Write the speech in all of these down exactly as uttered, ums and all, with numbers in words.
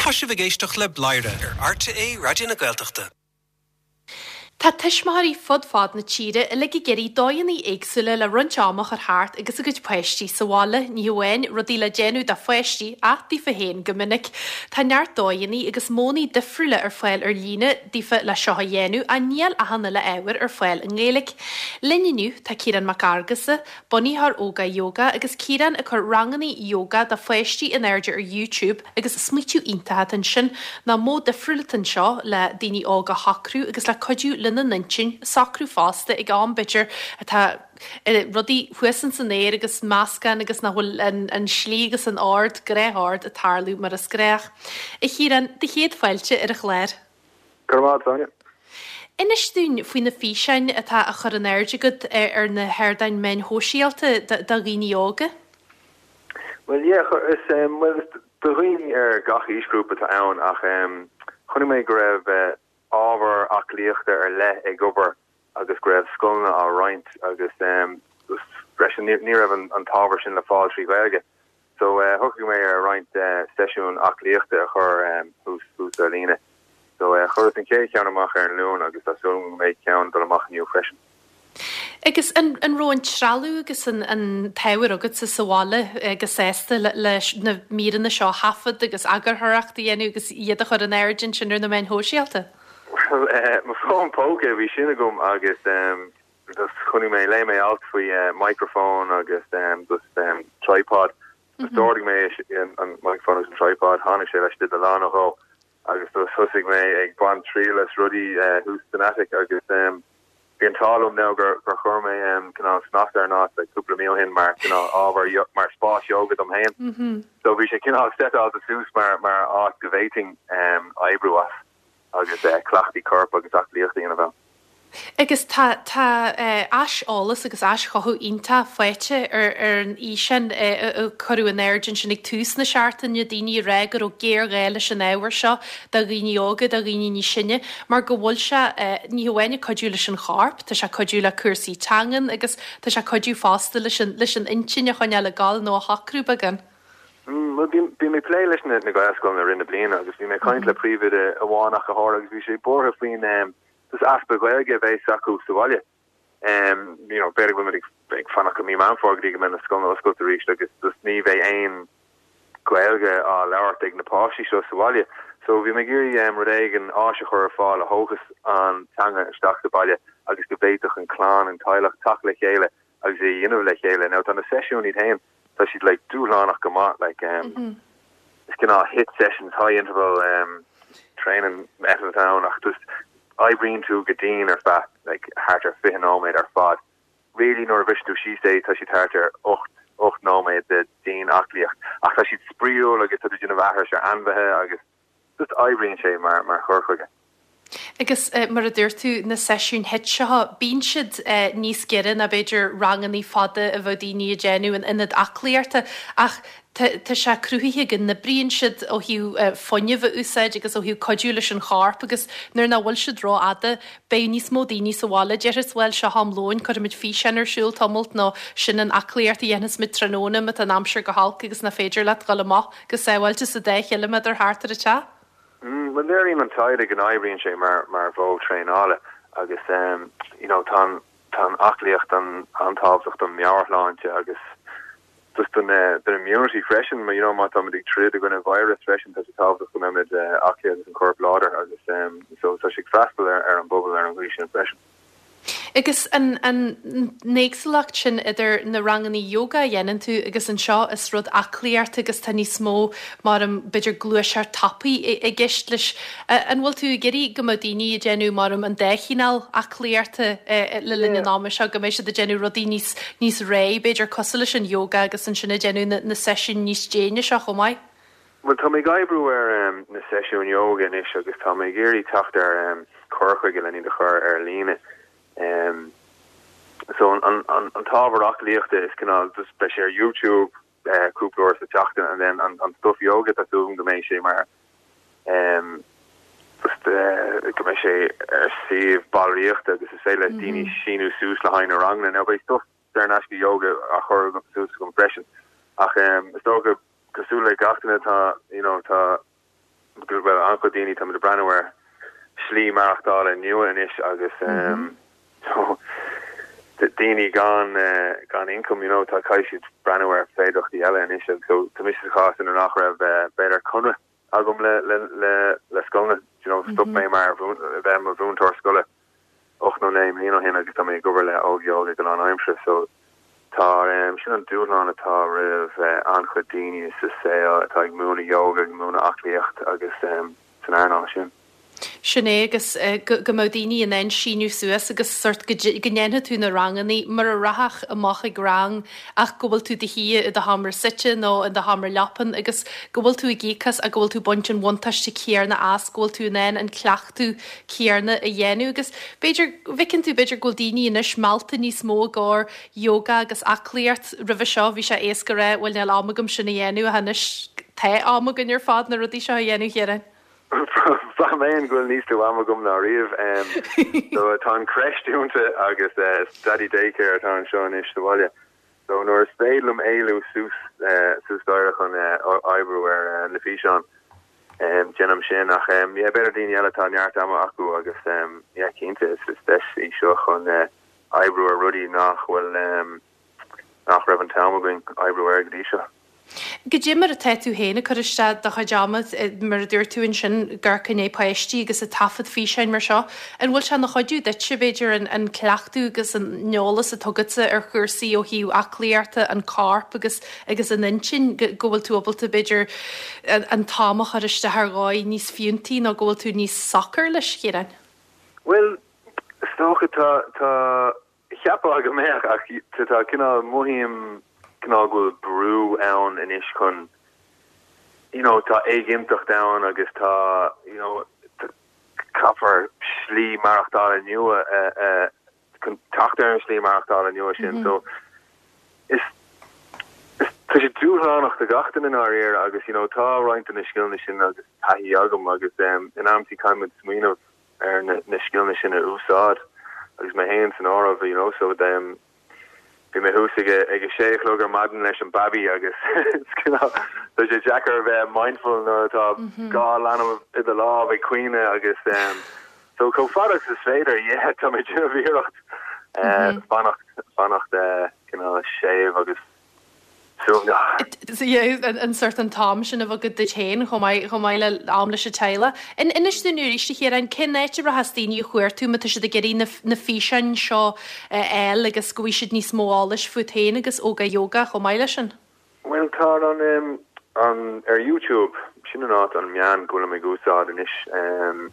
Tá sibh ag éisteacht le Bladhaire ar RTÉ Raidió na Gaeltachta. Tá tuismitheoirí fud fad na tíre uilig ag iarraidh dóigheanna éagsúla le roinnt ama a chur thart agus a gcuid páistí sa bhaile, ní hamháin rudaí le déanamh do pháistí ach daofa féin go minic. Tá neart dóigheanna agus modhanna difriúla ar fáil ar líne daofa le seo a dhéanamh ach níl achan uile ábhar ar fáil i nGaeilge. Linn inniu tá Ciarán Mac Fhearghusa, bunaitheoir Óga Yoga agus Ciarán ag cur ranganna yoga do pháistí in airde ar YouTube agus smaoitiú iontach ansin ná modh difriúil anseo le daoine óga a shocrú agus le cuidiú lena n-intinn socrú fosta ag am b'fhéidir atá eh, rudaí thuas san aer agus meascán agus nach bhfuil an, an slí agus an ord gnáthord ag tarlú mar is gnách. A Chiaráin, do chéad fáilte ar an chlár. Go Sonia. Inis dúinn faoi na físeáin atá á chur in airde agat ar, ar na hardáin meáin shóisialta do dhaoine óga? Well yeah, is um, well, do dhaoine ar gach aoisghrúpa atá ann ach um, chonaic mé go raibh uh, ábhar aclaíochta ar leith ag obair agus go raibh scoileanna á roinnt agus um, freisin ní raibh an, an t-ábhar sin le fáil trí Ghaeilge. So uh, shocraigh mé ar roinnt uh, seisiún aclaíochta a chur um, thuas ar líne. So uh, chuireas an chéad cheann amach ar an Luan agus tá súil go mbeidh ceann dul amach inniu freisin. Agus an, an raibh an trealamh agus an, an t-ábhar agat sa sa bhaile agus sásta le, leis na míreanna seo thaifead agus eagarthóireacht a dhéanamh agus iad a chur in airde sin ar na meáin shóisialta? Well, uh, mo fón póca bhí sin agam agus um, just chonaic mé léigh mé alt faoi uh, microphone agus um, just um, tripod. Mm -hmm. D'ordaigh mé an, an microphone agus an tripod tháinig sé leis de lá nó dhó agus just thosaigh mé ag baint triail as rudaí uh, thuas san attic agus um, bhí an t-ádh liom now gur gur chuir mé um, cineál snas ar ná like, cúpla mí ó shin mar cineál ábhar mar spás yoga dom féin. Mm -hmm. So bhí sé cineál setáilte suas mar mar áit go bhféadfainn um, oibriú as agus uh, cleachtaí coirp agus aclaíochta ina bheith. Agus tá tá uh, aiseolas agus aischothú iontach faighte ar ar an fhíseán uh, cuireadh in airde sin ag tús na seachtaine daoine rá go raibh géarghá leis an ábhar seo do dhaoine óga do dhaoine níos sine, mar go bhfuil sé uh, ní hamháin ag cuidiú leis an chorp, tá sé cuidiú le cúrsaí teangan agus tá sé cuidiú fosta leis an leis an intinn a choinneáil ag gabháil nó a shocrú beagán. Mm, well, bhí mé plé leis na na Gaelscoileanna i rith na bliana agus bhí mé caint le príomhoide amháin ach go háirithe agus bhí sé buartha faoin um, dus easpa Gaeilge a bheith acu sa bhaile. Um, you know, b'fhéidir go ag fanacht go mí Meán Fómhair go dtí go mbeidh na scoileanna oscailte arís agus dus ní bheidh aon Gaeilge á labhairt ag na páistí seo sa bhaile. So bhí mé ag iarraidh um, rud éigin áis a chur ar fáil a thógas an teanga isteach sa baile agus go bhféadfadh an clann an teaghlach teacht le chéile agus é dhéanamh le chéile. Now tá na seisiún iad féin tá siad like dúshlánach go maith like um, mm -hmm. is cineál HIIT sessions high interval um, training method ann ach just oibríonn tú go dian ar feadh like thart ar fiche nóiméad ar fad. Really nuair a bhris tú síos é tá siad thart ar ocht ocht nóiméad de dian-aclaíocht ach tá siad spraíúil agus tá déanamh aithris ar ainmhithe agus just oibríonn sé mar mar chur chuige. Agus uh, mar a dúirt tú na seisiún HIIT seo bíonn siad uh, níos giorra ná b'fhéidir ranganna fada a bheadh daoine ag déanamh in ionad aclaíochta ach tá sé cruthaithe go n-oibríonn siad ó thaobh uh, fuinneamh a úsáid agus ó thaobh cuidiú leis an chorp agus nuair nach bhfuil siad rófhada beidh níos mó daoine sa bhaile déarfas well seo am lóin cuirfimid físeán ar siúl tamalt nó sin an aclaíocht a dhéanfaimid tráthnóna má tá an aimsir go holc agus nach féidir leat dul amach go sábháilte sa deich ciliméadar thart ar an teach. Mm, well léiríonn an taighde go n-oibríonn sé mar mar mhodh traenála agus um, you know, tá tá aclaíocht an an-tábhachtach don meabhairshláinte agus just don uh, don immunity freisin you know má tá ag troid in aghaidh virus freisin tá sé tábhachtach go mbeidh uh, aclaí agus an corp láidir agus um, so tá sé freastal ar, ar an bpobal ar an gcaoi sin freisin. Agus an an éagsúlacht sin idir na ranganna yoga a dhéanann tú agus anseo is rud aclaíocht agus tá níos mó mar an b'fhéidir gluaiseacht tapaidh i gceist leis. An bhfuil tú ag iarraidh go mbeadh daoine ag déanamh mar an dá chineál aclaíochta le linn an ama seo go mbeidh siad ag déanamh rudaí níos níos réidh, b'fhéidir cosúil leis an yoga agus ansin ag déanamh na, na seisiún níos déine seo chomh maith. Well tá mé ag oibriú ar um, na seisiún yoga anois agus tá mé ag iarraidh teacht ar um, cur chuige le iad a chur ar líne. Um, so an an an, an t-ábhar aclaíochta is cineál just beidh sé ar YouTube uh, cúpla uair sa tseachtain and then an, an stuff yoga tá súil go mbeidh sé mar um, just uh, go mbeidh sé ar suíomh ballraíochta agus is féidir le daoine síniú suas le haghaidh na ranganna now beidh stuff saor in aisce yoga á chur suas agam freisin ach um, is dócha cosúil le gach duine tá you know tá Well, an-chuid daoine, táimid ag breathnú ar slí maireachtála nua anois agus um, so, daoine gan uh, gan income, you know, tá caithfidh siad breathnú ar féidearthachtaí eile anois agus so tá mise sa chás ina nach raibh uh, b'fhéidir conradh agam le le le le scoileanna, you know, stop mé mar bheith mar mhúinteoir scoile ocht nó naoi mbliana ó shin agus tá mé ag obair le Óga Yoga go lánaimseartha so tá um, sin an dúshlán atá roimh uh, an-chuid daoine sa saol atá ag múineadh yoga ag múineadh aclaíocht agus um, san earnáil sin. Sin é agus uh, go, go mbeadh daoine in ann síniú suas agus sort go go ndéanfaidh tú na ranganna mar a rachfá amach ag rang ach go bhfuil tú i do shuí i do sheomra suite nó i do sheomra leapan agus go bhfuil tú ag íoc as ach go bhfuil tú baint an bhuntáiste céanna as go bhfuil tú in ann an cleachtadh céanna a dhéanamh agus b'fhéidir bhfeiceann tú b'fhéidir go bhfuil daoine anois meallta níos mó i gcomhair yoga agus aclaíocht roimhe seo bhí sé éasca rá bhuel níl am agam sin a dhéanamh anois tá am againn ar fad na rudaí seo a dhéanamh chéire. Ba mé go bhfuil níos lú am agam ná riamh so tá an creche dúnta agus uh, daddy daycare atá anseo anois sa bhaile. So nuair is féidir liom éalú suas uh, suas staighre chun uh, oibriú ar uh, na físeáin um, déanaim sin ach um, yeah, b'fhéidir daoine eile tá neart ama acu agus um, yeah, cinnte is is deis í seo chun uh, oibriú ar rudaí nach bhfuil um, nach raibh an t-am againn oibriú ar go dtí seo. Goidé mar atá tú féin ag cur isteach do chuid ama mar a dúirt tú ansin gur cinné páistí agus ag taifead físeáin mar seo. An bhfuil sé ina chuidiú duit b'fhéidir an, an cleachtadh agus an t-eolas atá agatsa ar chúrsaí ó thaobh aclaíochta an corp agus agus an intinn go bhfuil tú ábalta b'fhéidir an, an t-am a chur isteach ar dhóigh níos fiúntaí nó go bhfuil tú níos socair leis chéan? Well, is dócha tá tá cheapfá go mbeadh ach tá cineál mothaím cineál go bhfuil brú ann anois chun you know tá éiginnteacht ann agus tá you know caithfear slí maireachtála nua uh, uh, chun teacht ar an slí maireachtála nua sin mm -hmm. so is is tá sé dúshlánach do gach duine dáiríre agus you know tá roinnt na scileanna sin agus taithí agam agus um, in amanta caithfimid smaoineamh ar na, na scileanna sin a úsáid agus mé féin san áireamh you know so um, Bhí mé thuas ag ag a sé a chlog ar maidin leis an baby agus Tá sé deacair bheith mindful nuair atá dhá leanbh i do lámh ag caoineadh agus um, so chomh fada is féidir yeah, tá mé ag iarraidh uh, fanacht fanacht uh, cineál séimh agus an sort an t-am sin a bheith agat duit féin chomh maith le am leis an teaghlach. In inis dúinn arís a Chiaráin cén áit a rachas daoine a chuartú má tá siad ag iarraidh na físeáin seo eil agus go bhfuil siad níos mó eolais fút féin agus Óga Yoga chomh maith leis sin. Well tá an um, an ar YouTube sin an áit an meán go bhfuil ag úsáid anois um,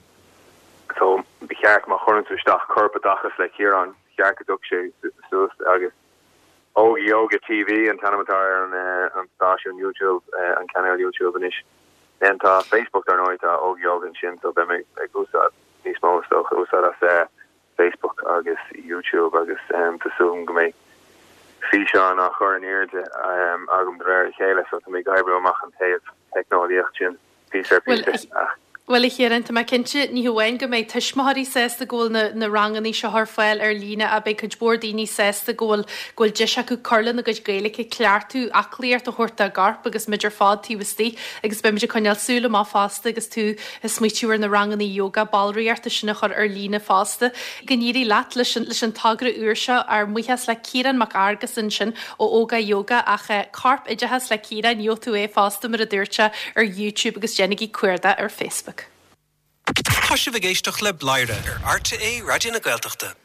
so ba cheart má chuireann tú isteach corpoideachas le Ciarán cheart go dtiocfaidh sé suas agus Óga Yoga TV an t-ainm atá ar an uh, an stáisiún YouTube uh, an cainéal YouTube anois. En tá Facebook ar ndóigh tá Óga Yoga ansin so beidh mé ag úsáid níos mó so úsáid as uh, Facebook agus YouTube agus um, tá súil go mbeidh físeán á chur in airde um, agam de réir a chéile so tá mé ag oibriú amach an taobh teicneolaíocht sin píosa píosa. Well a Chiaráin tá mé cinnte ní hamháin go mbeidh tuismitheoirí sásta go bhfuil na, na ranganna seo ar fáil ar líne ach beidh cuid mhór daoine sásta go bhfuil go bhfuil deis acu cur lena gcuid Gaeilge cleachtadh aclaíocht a thabhairt dá gcorp agus muid ar fad taobh istigh agus beimid ag coinneáil súil amach fosta agus tú ag smaoitiú ar na ranganna yoga ballraíochta sin a chur ar líne fosta. Go n-éirí leat leis an, leis an togra úr seo ár mbuíochas le Ciarán Mac Fhearghusa ansin ó Óga Yoga ach eh, Corp Oideachas le Ciarán gheobhaidh tú é fosta mar a dúirt sé ar YouTube agus déanaigí cuardach ar Facebook. Tá sibh ag éisteacht le Bladhaire ar RTÉ Raidió na Gaeltachta.